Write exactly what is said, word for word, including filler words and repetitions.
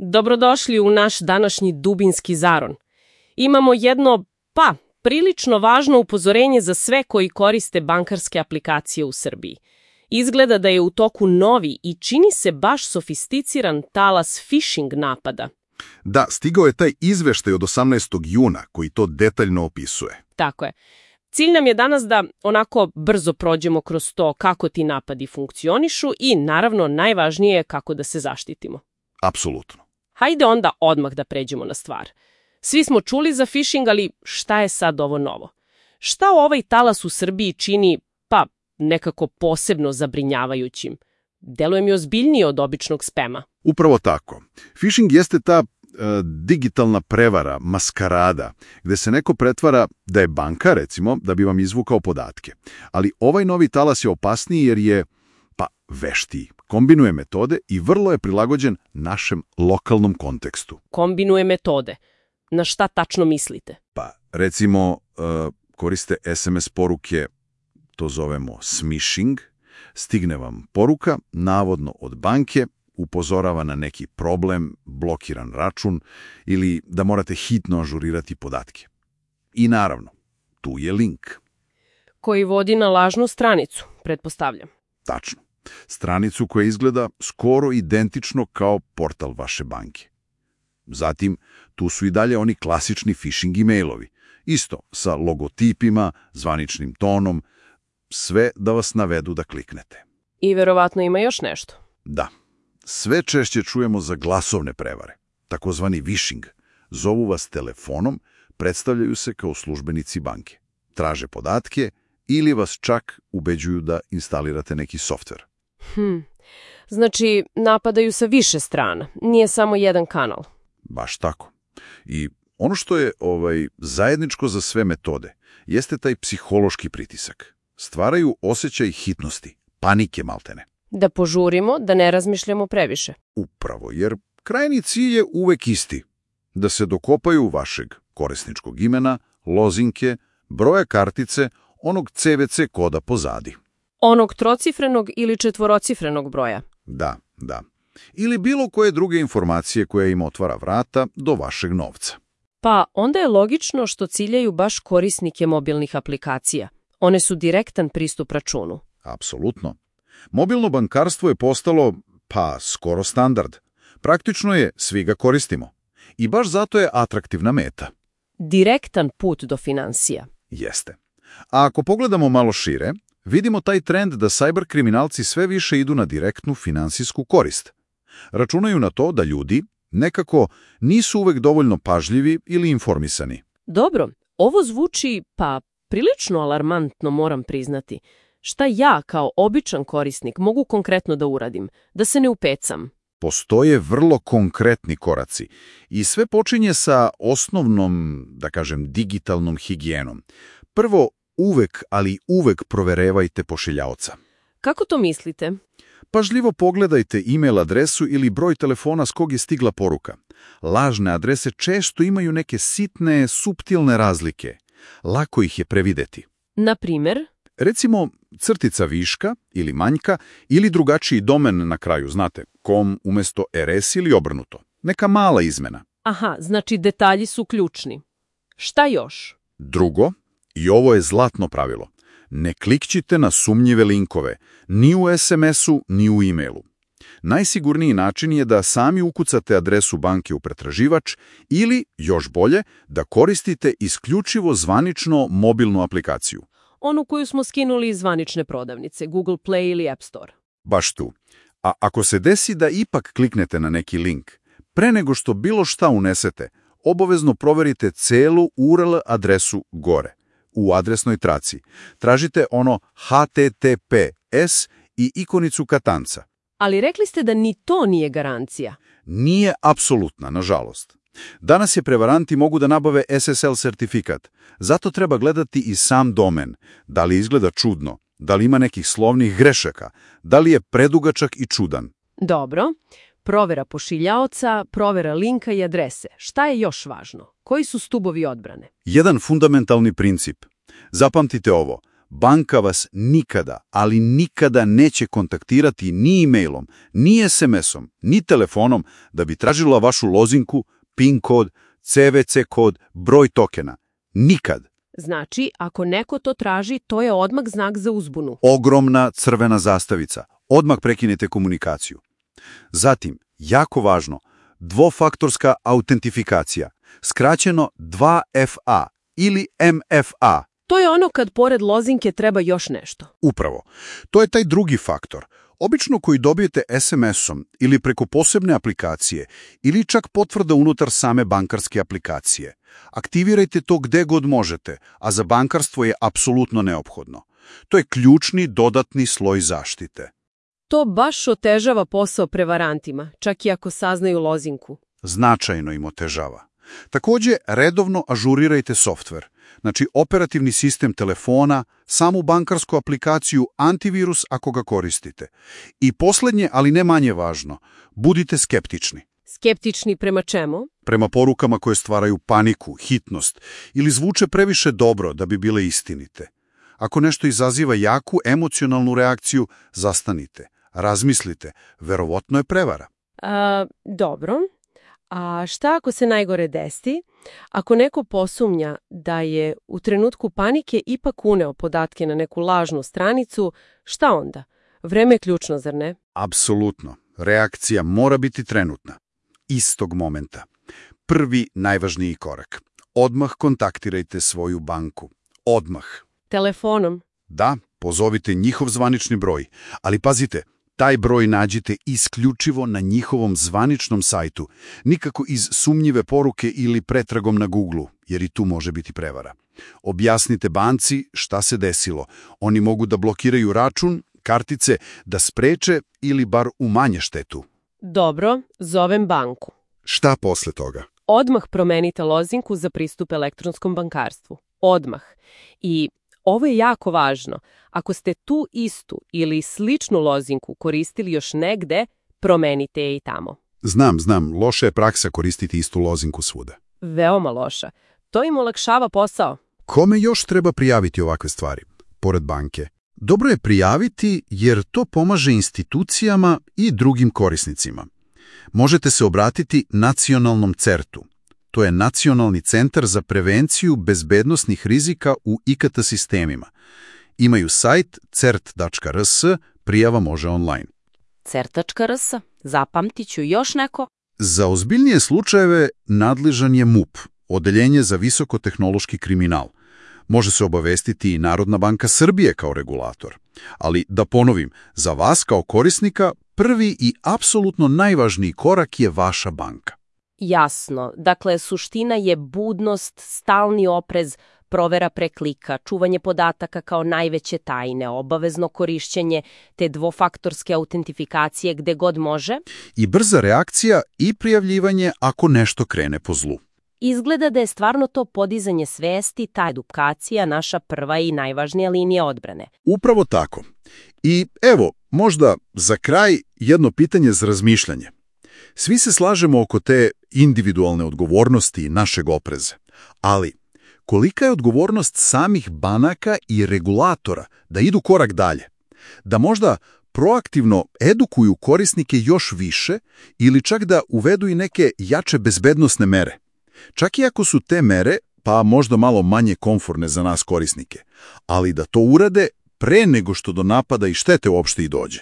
Dobrodošli u naš današnji dubinski zaron. Imamo jedno, pa, prilično važno upozorenje za sve koji koriste bankarske aplikacije u Srbiji. Izgleda da je u toku novi i čini se baš sofisticiran talas phishing napada. Da, stigao je taj izveštaj od osamnaestog juna koji to detaljno opisuje. Tako je. Cilj nam je danas da onako brzo prođemo kroz to kako ti napadi funkcionišu i, naravno, najvažnije je kako da se zaštitimo. Apsolutno. Hajde onda odmah da pređemo na stvar. Svi smo čuli za phishing, ali šta je sad ovo novo? Šta ovaj talas u Srbiji čini, pa, nekako posebno zabrinjavajućim? Deluje mi ozbiljnije od običnog spema. Upravo tako. Phishing jeste ta e, digitalna prevara, maskarada, gde se neko pretvara da je banka, recimo, da bi vam izvukao podatke. Ali ovaj novi talas je opasniji jer je, pa, veštiji. Kombinuje metode i vrlo je prilagođen našem lokalnom kontekstu. Kombinuje metode. Na šta tačno mislite? Pa, recimo, e, koriste es em es poruke, to zovemo smishing. Stigne vam poruka, navodno od banke, upozorava na neki problem, blokiran račun ili da morate hitno ažurirati podatke. I naravno, tu je link. Koji vodi na lažnu stranicu, pretpostavljam. Tačno. Stranicu koja izgleda skoro identično kao portal vaše banke. Zatim, tu su i dalje oni klasični phishing e-mailovi. Isto, sa logotipima, zvaničnim tonom, sve da vas navedu da kliknete. I verovatno ima još nešto. Da. Sve češće čujemo za glasovne prevare, takozvani vishing. Zovu vas telefonom, predstavljaju se kao službenici banke. Traže podatke ili vas čak ubeđuju da instalirate neki softver. Hm. Znači, napadaju sa više strana. Nije samo jedan kanal. Baš tako. I ono što je ovaj zajedničko za sve metode jeste taj psihološki pritisak. Stvaraju osjećaj hitnosti, panike maltene. Da požurimo, da ne razmišljamo previše. Upravo, jer krajnji cilj je uvek isti. Da se dokopaju vašeg korisničkog imena, lozinke, broja kartice, onog ce ve ce koda pozadi. Onog trocifrenog ili četvorocifrenog broja. Da, da. Ili bilo koje druge informacije koja im otvara vrata do vašeg novca. Pa onda je logično što ciljaju baš korisnike mobilnih aplikacija. One su direktan pristup računu. Apsolutno. Mobilno bankarstvo je postalo, pa, skoro standard. Praktično je, svi ga koristimo. I baš zato je atraktivna meta. Direktan put do finansija. Jeste. A ako pogledamo malo šire, vidimo taj trend da cyber kriminalci sve više idu na direktnu finansijsku korist. Računaju na to da ljudi nekako nisu uvek dovoljno pažljivi ili informisani. Dobro, ovo zvuči, pa, prilično alarmantno, moram priznati. Šta ja, kao običan korisnik, mogu konkretno da uradim? Da se ne upecam? Postoje vrlo konkretni koraci i sve počinje sa osnovnom, da kažem, digitalnom higijenom. Prvo, uvek, ali uvek proverevajte pošiljaoca. Kako to mislite? Pažljivo pogledajte e-mail adresu ili broj telefona s kog je stigla poruka. Lažne adrese često imaju neke sitne, suptilne razlike. Lako ih je prevideti. Na primjer? Recimo, crtica viška ili manjka ili drugačiji domen na kraju, znate, com umjesto rs ili obrnuto. Neka mala izmena. Aha, znači detalji su ključni. Šta još? Drugo, i ovo je zlatno pravilo, ne klikćite na sumnjive linkove, ni u es em esu, ni u e-mailu. Najsigurniji način je da sami ukucate adresu banke u pretraživač ili, još bolje, da koristite isključivo zvanično mobilnu aplikaciju. Onu koju smo skinuli iz zvanične prodavnice, Google Play ili App Store. Baš tu. A ako se desi da ipak kliknete na neki link, pre nego što bilo šta unesete, obavezno proverite celu u er el adresu gore. U adresnoj traci. Tražite ono ha te te pe es i ikonicu katanca. Ali rekli ste da ni to nije garancija. Nije apsolutna, nažalost. Danas je prevaranti mogu da nabave es es el sertifikat. Zato treba gledati i sam domen. Da li izgleda čudno? Da li ima nekih slovnih grešaka? Da li je predugačak i čudan? Dobro. Provera pošiljaoca, provera linka i adrese. Šta je još važno? Koji su stubovi odbrane? Jedan fundamentalni princip. Zapamtite ovo. banka vas nikada, ali nikada neće kontaktirati ni e-mailom, ni es em esom, ni telefonom da bi tražila vašu lozinku, PIN kod, ce ve ce kod, broj tokena. Nikad. Znači, ako neko to traži, to je odmah znak za uzbunu. Ogromna crvena zastavica. Odmah prekinete komunikaciju. Zatim, jako važno, dvofaktorska autentifikacija, skraćeno dva F A ili M F A. To je ono kad pored lozinke treba još nešto. Upravo. To je taj drugi faktor. Obično koji dobijete es em esom ili preko posebne aplikacije ili čak potvrda unutar same bankarske aplikacije. Aktivirajte to gde god možete, a za bankarstvo je apsolutno neophodno. To je ključni dodatni sloj zaštite. To baš otežava posao prevarantima, čak i ako saznaju lozinku. Značajno im otežava. Također, redovno ažurirajte softver. Znači, operativni sistem telefona, samu bankarsku aplikaciju, antivirus ako ga koristite. I posljednje, ali ne manje važno, budite skeptični. Skeptični prema čemu? Prema porukama koje stvaraju paniku, hitnost ili zvuče previše dobro da bi bile istinite. Ako nešto izaziva jaku emocionalnu reakciju, zastanite, razmislite, verovatno je prevara. A, dobro. A šta ako se najgore desi? Ako neko posumnja da je u trenutku panike ipak uneo podatke na neku lažnu stranicu, šta onda? Vreme je ključno, zar ne? Apsolutno. Reakcija mora biti trenutna. Istog momenta. Prvi najvažniji korak. Odmah kontaktirajte svoju banku. Odmah. Telefonom? Da, pozovite njihov zvanični broj. Ali pazite, taj broj nađite isključivo na njihovom zvaničnom sajtu, nikako iz sumnjive poruke ili pretragom na Googlu, jer i tu može biti prevara. Objasnite banci šta se desilo. Oni mogu da blokiraju račun, kartice, da spreče ili bar umanje štetu. Dobro, zovem banku. Šta posle toga? Odmah promenite lozinku za pristup elektronskom bankarstvu. Odmah. I ovo je jako važno. Ako ste tu istu ili sličnu lozinku koristili još negde, promenite je i tamo. Znam, znam, loša je praksa koristiti istu lozinku svuda. Veoma loša. To im olakšava posao. Kome još treba prijaviti ovakve stvari, pored banke? Dobro je prijaviti jer to pomaže institucijama i drugim korisnicima. Možete se obratiti nacionalnom certu. To je Nacionalni centar za prevenciju bezbednosnih rizika u i ka te sistemima. Imaju sajt cert tačka r s, prijava može online. cert tačka r s, zapamtit ću još neko. Za ozbiljnije slučajeve nadležan je M U P, Odeljenje za visokotehnološki kriminal. Može se obavestiti i Narodna banka Srbije kao regulator. Ali, da ponovim, za vas kao korisnika prvi i apsolutno najvažniji korak je vaša banka. Jasno. Dakle, suština je budnost, stalni oprez, provera preklika, čuvanje podataka kao najveće tajne, obavezno korišćenje te dvofaktorske autentifikacije gde god može. I brza reakcija i prijavljivanje ako nešto krene po zlu. Izgleda da je stvarno to podizanje svesti, ta edukacija, naša prva i najvažnija linija odbrane. Upravo tako. I evo, možda za kraj jedno pitanje za razmišljanje. Svi se slažemo oko te individualne odgovornosti i našeg opreza. Ali, kolika je odgovornost samih banaka i regulatora da idu korak dalje? Da možda proaktivno edukuju korisnike još više ili čak da uvedu i neke jače bezbednosne mere? Čak i ako su te mere, pa možda malo manje komforne za nas korisnike, ali da to urade pre nego što do napada i štete uopšte i dođe.